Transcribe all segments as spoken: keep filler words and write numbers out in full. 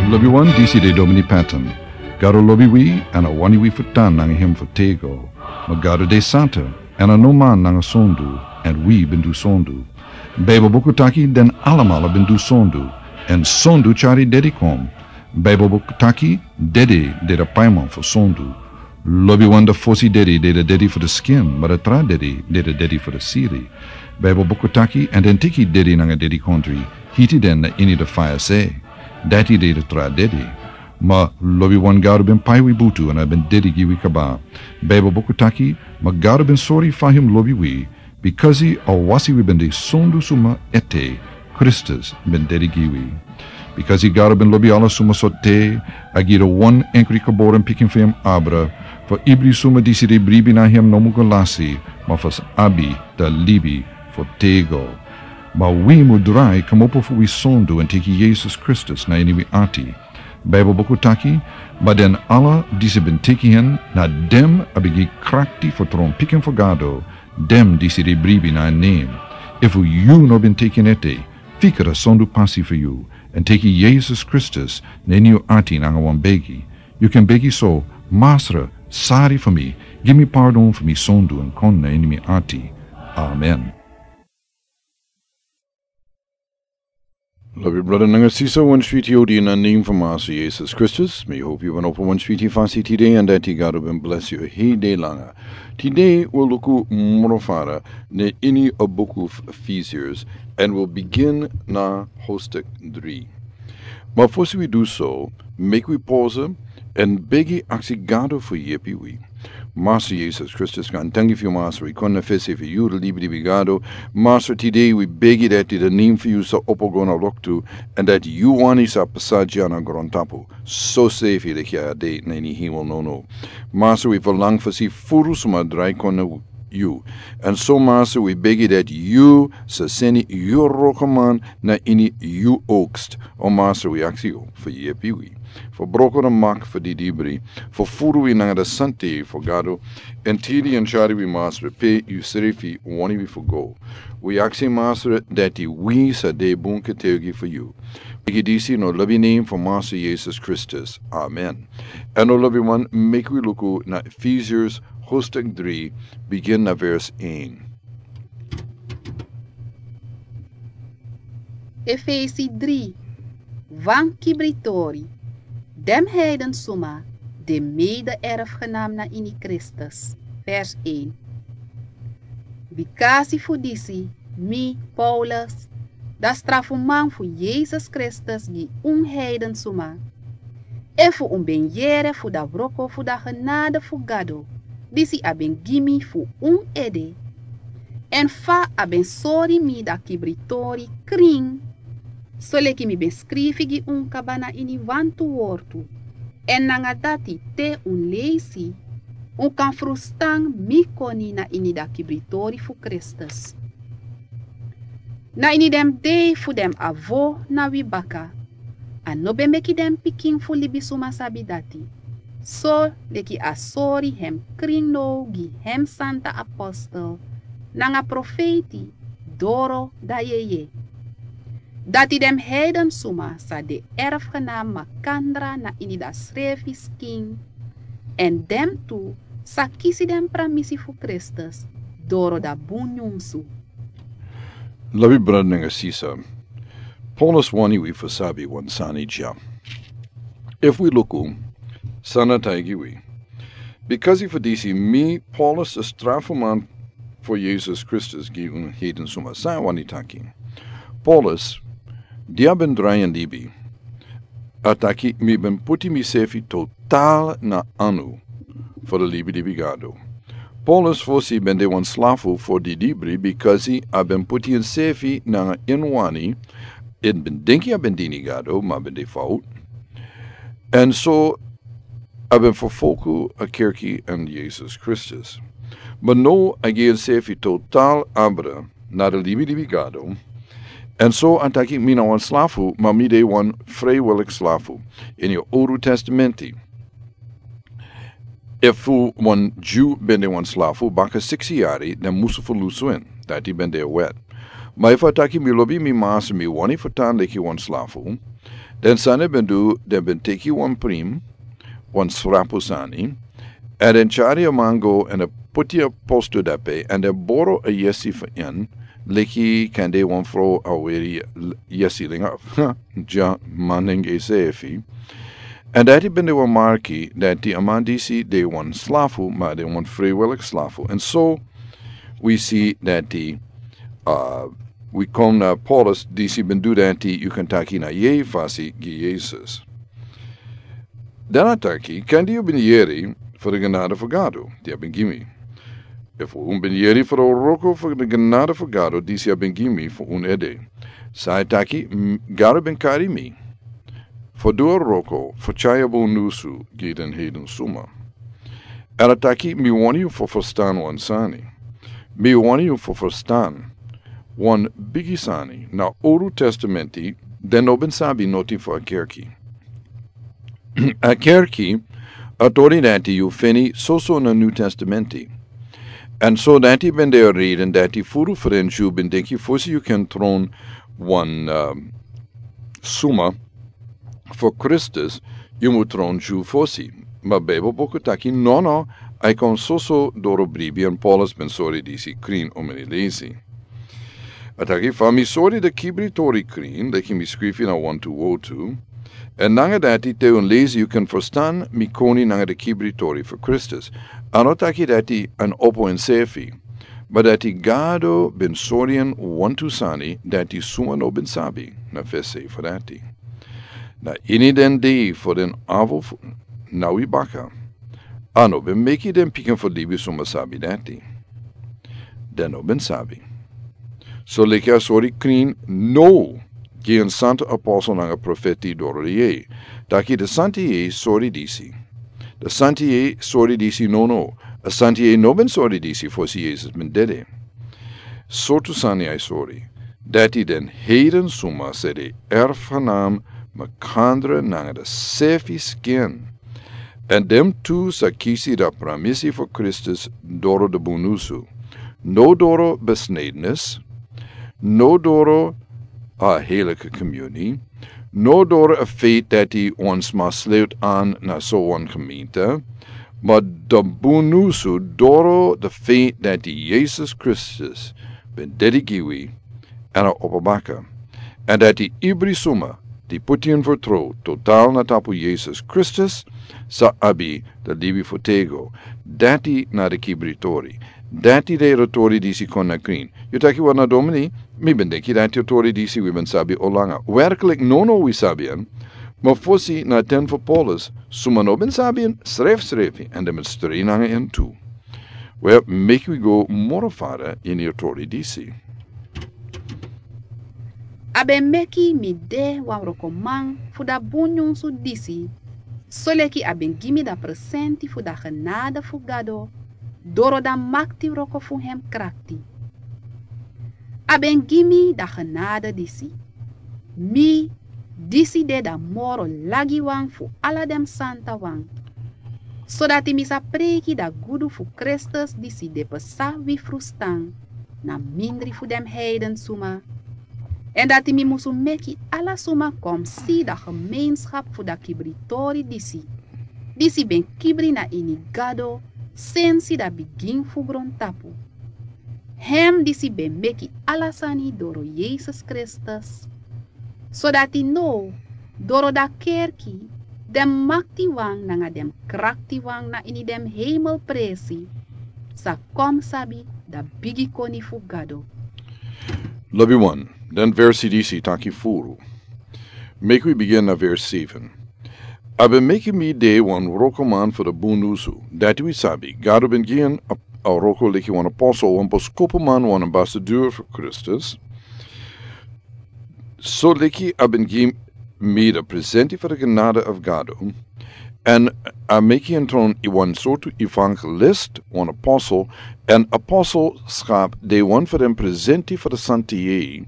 Lobi wan, disi de Domini Patton. Gado lobi wi, èn a wani wi fu tan nanga hem fu tego. Ma Gado de santa, èn a no man nanga sondu, èn wi ben du sondu. Beibel buku taki den alamala ben du sondu, èn sondu tyari dedi kon. Beibel buku taki dedi de de paiman fu sondu. Lobi wan, de fosi dedi de de dedi fu de skin, ma de tra dedi de de dedi fu de siri. Beibel buku taki, èn den teki dedi nanga dedikondri, hiti den na ini de faya se. Dati de de tra dedi. Ma lobi wan, Gado ben pai wi butu èn a ben dedi gi wi kaba. Beibel buku taki, ma Gado ben sori fa hem lobi wi, bikasi a wasi wi ben de sondu suma ete, Kristus ben dedi gi wi. Bikasi Gado ben lobi ala suma so te, a gi de wan enkri geboren pikin fu hem abra, fu ibri suma disi de bribi na hem no mu go lasi, ma fu sa abi de libi fu tego. Ma wi mu drai kmopo fu wi sondu èn teki Yesus Kristus na ini wi ati. Beibel buku taki, ma den ala disi ben teki hen, na den a ben gi krakti fu tron pikin fu Gado, den disi de bribi na en nen. Efu yu no ben teki en ete, fika de sondu pasi fu yu, èn teki Yesus Kristus na ini yu ati nanga wan begi. Yu kan begi so: Masra, sari fu mi, gi mi pardon fu mi sondu èn kon na ini mi ati. Amen. Lobi brada nanga sisa, wan switi odi na nen fu Masra Yesus Kristus. Mi hopi yu ben opo wan switi fasi tide, èn dati Gado ben bless yu hei dei langa. Tide wi luku moro fara na ini a buku fu Efesiërs, èn wi bigin na hoofdstuk dri. Ma fosi wi du so, meki wi poze èn begi aksi Gado fu yepi wi. Masra Yesus Kristus, gaantangi fu yu, Masra. Wi kon na fesi fu yu, libilibi Gado. Masra, tide wi begi dati de nen fu yu sa opo go na loktu, èn dati yu wani sa pasa dya na grontapu, so sefi leki a de na ini hemel nono. Masra, wi verlang fu si furu suma drai kon na yu. Èn so, Masra, wi begi dati yu sa seni yu wrokoman na ini yu oogst. O Masra, wi aksi yu fu yepi wi, fu broko na mak fu didibri, fu furu wi nanga de sante fu Gado, èn tidi èn tyari wi, Masra, pe yu srefi wani wi fu go. Wi aksi, Masra, dati wi sa de bun getuigi fu yu. Wi begi disi na lobi nen fu Masra Yesus Kristus. Amen. Èn na lobi wan, meki wi luku na Efesiërs hoofdstuk dri, bigin na vers één. Efesi dri, wan kibritori, den heiden suma, de mede-erfgenaam na ini Kristus. Vers één. Bikasi fu disi, mi, Paulus, de strafuman fu Yesus Kristus gi un heiden suma. Efu un ben yere fu de wroko fu de genade fu Gado, disi a ben gi mi fu un ede, èn fa a ben sori mi de kibritori krin, soleki mi ben skrifi gi un kaba na ini wantu wortu, èn nanga dati te un leisi, un kan frustan mi koni na ini de kibritori fu Kristus. Na ini den dei fu den avo na wi baka, a no ben meki den pikin fu libisuma sabi dati, soleki a sori hem krin now gi hem santa apostel nanga profeiti doro de yeye. Dati den heiden suma sa de erfgenaam makandra na ini de srefi skin, èn den tu sa kisi den pramisi fu Kristus doro de bun nyunsu. Lobi brada nanga sisa, Paulus wani wi fu sabi wan sani dya. Efu wi luku san a taigi wi. Bikasi fu disi, mi, Paulus, de strafuman fu Yesus Kristus gi un heiden suma. San a wani taki? Paulus, di a ben drai en libi, a taki: Mi ben puti misefi total na anu fu de libilibi Gado. Paulus fosi ben de wan slafu fu didibri, bikasi a ben puti ensefi nanga en wani, èn ben denki a ben dini Gado, ma ben de fout. Èn so a ben ferfolgu a kerki èn Yesus Kristus. Ma now a gi ensefi total abra na de libilibi Gado. Èn so a taki: Mi na wan slafu, ma mi de wan frijwillig slafu. Ini a Owru Testamenti, efu wan Dyu ben de wan slafu baka siksi yari, dan musu ferlusu en. Dati ben de a wet. Ma efu a taki: Mi lobi mi masra, mi wani fu tan leki wan slafu, Den sani ben du, den ben teki wan prim, wan srapu sani, èn den tyari a man go èn den poti a postu dape, èn den boro a yesi fu en, leki kande wan frow a weri l-, yesi langa. Dya, man nanga sefi. Èn dati ben de wan marki dati a man disi de wan slafu, ma de wan freiwillig slafu. Èn so wi si dati, uh, wi kon na Paulus disi ben du dati, yu kan taki na yei fasi gi Yesus. Dan a taki, kande yu ben yeri fu di genade fu Gado, di a ben gi mi. Efu un ben yeri fu di wroko fu di genade fu Gado, disi a ben gi mi fu un ede. San a taki, m-, Gado ben kari mi fu du a wroko fu tyari a bun nusu gi den heiden suma. Èn a taki, mi wani yu fu ferstan wan sani. Mi wani yu fu ferstan wan bigi sani. Na Owru Testamenti, den no ben sabi noti fu a kerki. A kerki, a tori dati yu feni soso na New Testamenti. Èn so dati ben de a reden dati furu fu den Dyu ben denki fosi yu kan tron wan, um, suma fu Kristus, yu mu tron Dyu fosi. Ma Bijbel buku taki nono, a e kon soso doro bribi, èn Paulus ben sori disi krin omeni leisi. A taki, fa mi sori di kibri tori krin, leki mi skrifi na wantu wotu. Èn nanga dati te un leisi yu kan ferstan mi koni nanga di kibri tori fu Kristus. A no taki dati a opo ensefi, ma dati Gado ben sori en wantu sani dati suma no ben sabi na fesi fu dati. Na ini den dei fu den afu fu, na wi baka. A no ben meki den pikin fu libi suma sabi dati. Den no ben sabi. So leki a sori krin now gi en santa apostel nanga profeti doro di yei. Taki di santa yei sori disi. Di santa yei sori disi nono. A santa yei no ben sori disi fosi Yesus ben dede. Sortu sani a e sori. Dati den heiden suma sa de erfgenaam makandra nanga di sefi skin. Èn den tu sa kisi di pramisi fu Kristus doro di bun nusu. No doro besnedenis, no doro a heiliki komiuni, no doro a feit dati wan sma sleut an na so wan gemeente, ma di bun nusu doro di feit dati Yesus Kristus ben dede gi wi èn a opo baka. Èn dati ibri suma di poti en fertrow total na tapu Yesus Kristus sa abi di libi fu tego. Dati na di kibri tori. Dati de di tori disi kon na krin. Yu taki, wel, na domini, mi ben denki dati a tori disi wi ben sabi al langa. Werklik nono wi sabi en. Ma fosi na ten fu Paulus, suma no ben sabi en srefsrefi, èn den ben strei nanga en tu. Wel, meki wi go moro fara ini a tori disi. A ben meki mi de wan wrokoman fu di bun nyunsu disi, soleki a ben gi mi di presenti fu di genade fu Gado, doro di makti wroko fu hem krakti. A ben gi mi di genade disi. Mi, disi de di moro lagiwan fu ala den santawan, sodati mi sa preiki di gudu fu Kristus disi de pasa wi frustan na mindri fu den heiden suma. Èn dati mi musu meki ala suma kon si di gemeenschap fu di kibritori disi, disi ben kibri na ini Gado sensi di bigin fu grontapu. Hem disi ben meki ala sani doro Yesus Kristus. Sodati now, doro di kerki, den maktiwan nanga den kraktiwan na ini den heimel presi sa kon sabi di bigi koni fu Gado. Lobiwan, den versi disi taki furu. Meki wi bigin na vers seven. A ben meki mi de wan wrokoman fu di bun nusu, dati wi sabi, Gado ben gi en a, a wroko leki wan apostel, wan boskopuman, wan ambasador fu Kristus. Soleki a ben gi mi di presenti fu di genade fu Gado, èn a meki en tron wan sortu evangelist, wan apostel, èn apostelschap de wan fu den presenti fu di santa yei,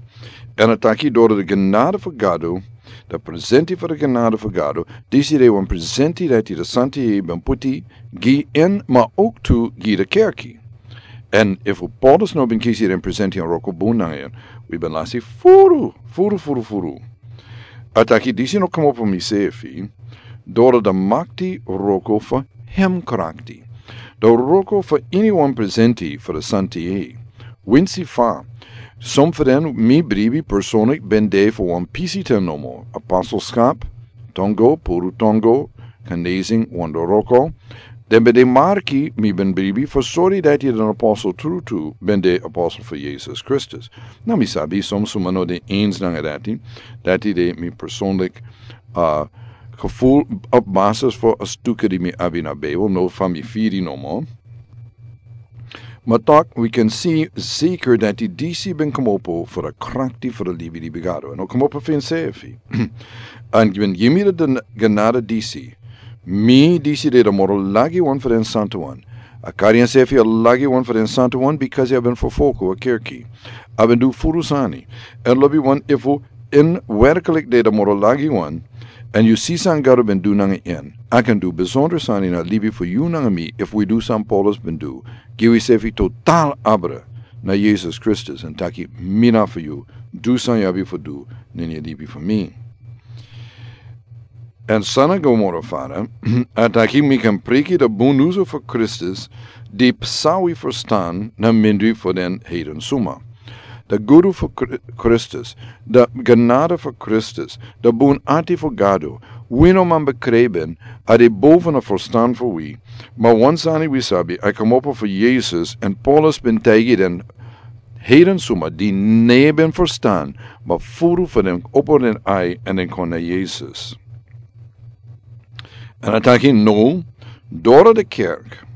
èn a taki doro di genade fu Gado, di presenti fu di genade fu Gado, disi de wan presenti dati di santa yei ben puti gi en, ma ook tu gi di kerki. Èn efu Paulus no ben kisi den presenti èn wroko bun nanga en, wi ben lasi furu, furu, furu, furu. A taki disi no komopo fu misefi, doro di makti wroko fu hem krakti. Di wroko fu iniwan presenti fu di santi e. Winsi fa, son fu den mi bribi personlik ben de fu wan pisi ten nomo, apostelskap, tongo, puru tongo, genezing, wan wroko, den ben de marki mi ben bribi fu sori dati den apostel tru tru ben de apostel fu Yesus Kristus. Na mi sabi son suma no de eens nanga dati, dati de mi personlik, uh, gevoel op basis fu a stuke di mi abi na Bijbel, no fa mi firi nomo. Ma tok, wi kan si zeker dati disi ben komopo fu di krakti fu di libi di bigado. No komopo fu ensefi. An ben yimi di genade disi. Mi disi de di moro lagi wan fu den santu wan. A kari ensefi a lagi wan fu den santu wan, because a ben fu foku a kerki. A ben du furu sani. An lobi wan, efu en werklik de di moro lagi wan, an yu si san Gado ben du nanga en, a kan du besondro sani na libi fu yu nanga mi, efu wi du san Paulus ben du, gi wi sefi total abra na Yesus Kristus, an taki mi na fu yu, du san yu abi fu du, nanga yu libi fu mi. An san a go moro fara, a taki mi kan priki di bun nusu fu Kristus, di psa wi ferstan na mindri fu den heiden suma. Di gudu fu Kri-, Kristus, di genade fu Kristus, di bun ati fu Gado, wi no man bekrijpen, a de boven a ferstan fu wi, ma wan sani wi sabi, a komopo fu Yesus, an Paulus ben taigi den heiden suma di no ben ferstan, ma furu fu den opo den ai an den kon na Yesus. An a taki no, doro di kerk,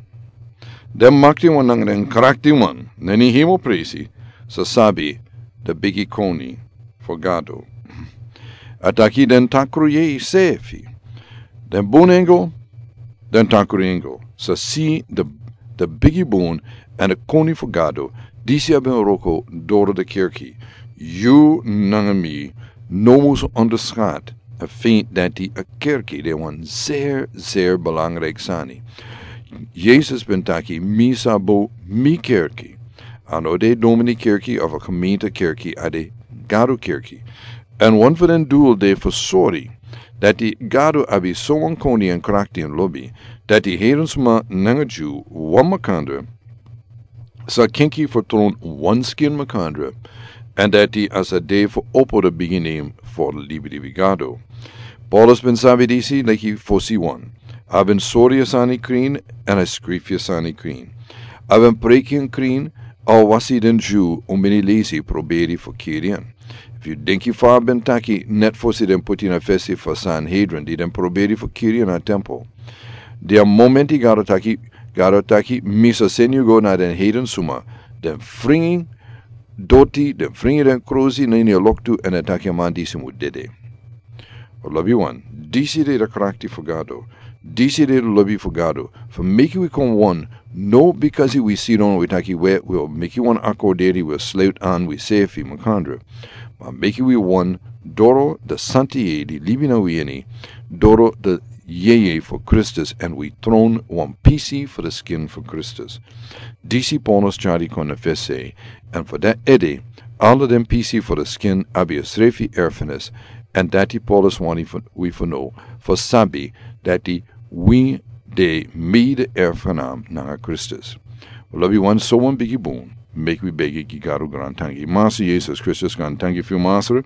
den makti wan nanga den krakti wan, nanga den hemelpresi, sa sabi di bigi koni fu Gado. A taki den takru yeye sefi, den bun engel, den takru engel, sa si di, di bigi bun, an di koni fu Gado, disi a ben wroko doro di kerki. Yu nanga mi no mus onderschat a feit dati a kerki de wan zeer, zeer belangrijk sani. Yesus ben taki, mi sa bow mi kerki. A no de domini kerki of a gemeente kerki, a de Gado kerki. An wan fu den dul de fu sori dati Gado abi sowan koni an krakti an lobi, dati heiden suma nanga Dyu wan makandra sa kenki fu tron wan skin makandra, an dati a sa de fu opo di bigi nen fu di libi di bigado. Paulus ben sabi disi leki fosi wan. A ben sori a sani krin, an a skrifi a sani krin. A ben preki en krin, a wasi den Dyu un ben e lesi proberi fu kiri en. Efu yu denki fa a ben taki, net fosi den poti en na fesi fu Sanhedrin, di den proberi fu kiri en na tempel. Di a momenti Gado taki, Gado taki, mi sa seni yu go na den heiden suma, den fringi doti, den fringi den krusi na ini a loktu, an den taki a man disi mu dede. O lobi wan, disi de di krakti fu Gado, disi de di lobi fu Gado, fu meki wi kon wan, no bikasi wi sidon wi taki we, wi o meki wan akorderi, wi o sluit an wi sefi makandra. Ma meki wi wan, doro di santi yeye di libi na wi ini, doro di yeye fu Kristus, an wi tron wan pisi fu di skin fu Kristus. Disi Paulus tyari kon na fesi, an fu dati ede, ala den pisi fu di skin abi a srefi erfenis, an dati Paulus wani fu, wi fu no, fu sabi dati wi de mede erfgenaam nanga Kristus. Wi lobi wan, sowan bigi bun, meki wi begi gi Gado grantangi. Masra Yesus Kristus, grantangi fu yu, Masra.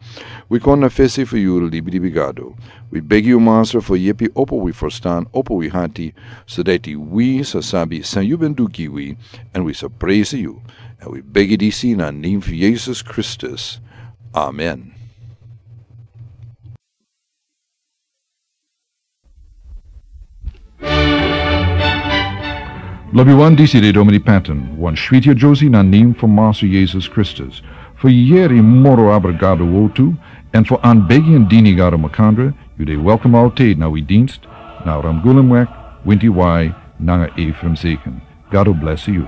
Wi kon na fesi fu yu, libi di bigado. Wi begi yu, Masra, fu yepi opo wi ferstan, opo wi hati, so dati wi sa sabi san yu ben du gi wi, an wi sa presi yu. An wi begi disi na nen fu Yesus Kristus. Amen. Lobi wan, disi de Domini Patton, wan switi a Josie na nen fu Masra Yesus Kristus. Fu yere moro abra Gado wortu, an fu anbegi an dini Gado makandra, yu de welkom altijd na wi dienst, na Ramgulemweg, winti wai, nanga Ephraim Zeken. Gado blesi yu.